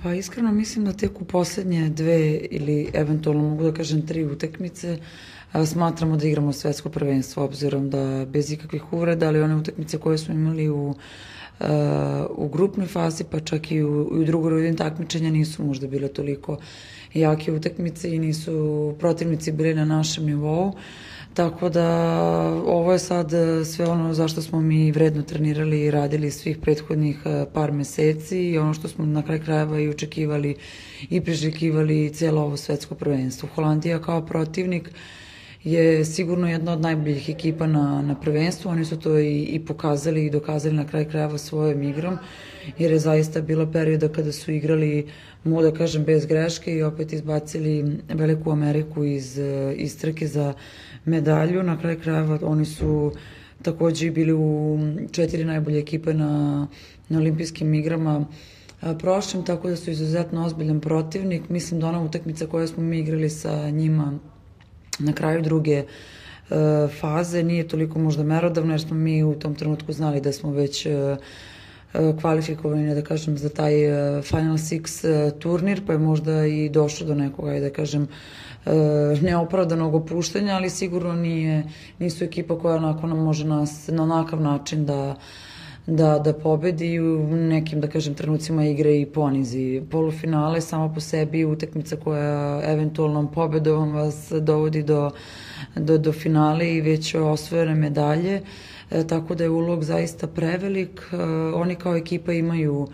Pa iskreno mislim da tek u poslednje 2 ili eventualno mogu da kažem 3 utakmice smatramo da igramo svetsko prvenstvo, obzirom da bez ikakvih uvreda, ali one utakmice koje smo imali u grupnoj fazi, pa čak i u drugoj rundi takmičenja nisu možda bile toliko jake utakmice i nisu protivnici bili na našem nivou. Tako da ovo je sad sve ono zašto smo mi vredno trenirali i radili svih prethodnih par meseci i ono što smo na kraj krajeva i očekivali i priželjkivali cijelo ovo svetsko prvenstvo. Holandija kao protivnik je sigurno jedna od najboljih ekipa na prvenstvu. Oni su to i pokazali i dokazali na kraj krajeva svojom igrom, jer je zaista bilo perioda kada su igrali, mogu da kažem, bez greške i opet izbacili Veliku Ameriku iz trke za medalju. Na kraj krajeva oni su takođe bili u 4 najbolje ekipe na olimpijskim igrama prošlim, tako da su izuzetno ozbiljan protivnik. Mislim da ona utakmica koja smo mi igrali sa njima na kraju druge faze nije toliko možda merodavna, jer smo mi u tom trenutku znali da smo već kvalifikovani, da kažem, za taj Final Six turnir, pa je možda i došlo do nekoga, da kažem, neopravdanog opuštanja, ali sigurno nisu ekipa koja onako nam može nas na onakav način da pobedi i u nekim, da kažem, trenucima igre i ponizi. Polufinale samo po sebi utakmica koja eventualnom pobedom vas dovodi do finale i već osvojene medalje, tako da je ulog zaista prevelik. Oni kao ekipa imaju,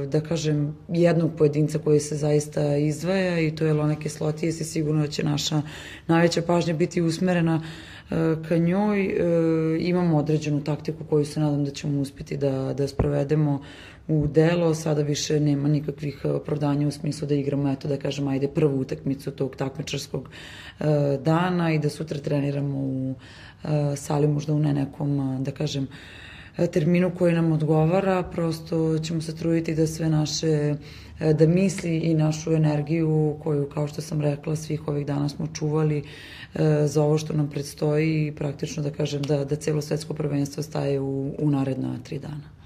da kažem, jednog pojedinca koji se zaista izdvaja i to je Ilona Kislotijas i sigurno da će naša najveća pažnja biti usmerena ka njoj. Imamo određenu taktiku koju se nadam da ćemo uspjeti da sprovedemo u delo. Sada više nema nikakvih opravdanja u smislu da igramo, eto da kažem, ajde prvu utakmicu tog takmičarskog dana i da sutra treniramo u sali, možda u ne nekom, da kažem, terminu koji nam odgovara. Prosto ćemo se truditi da sve naše, da misli i našu energiju koju, kao što sam rekla, svih ovih dana smo čuvali za ovo što nam predstoji i praktično da kažem da celo svetsko prvenstvo staje u naredna 3 dana.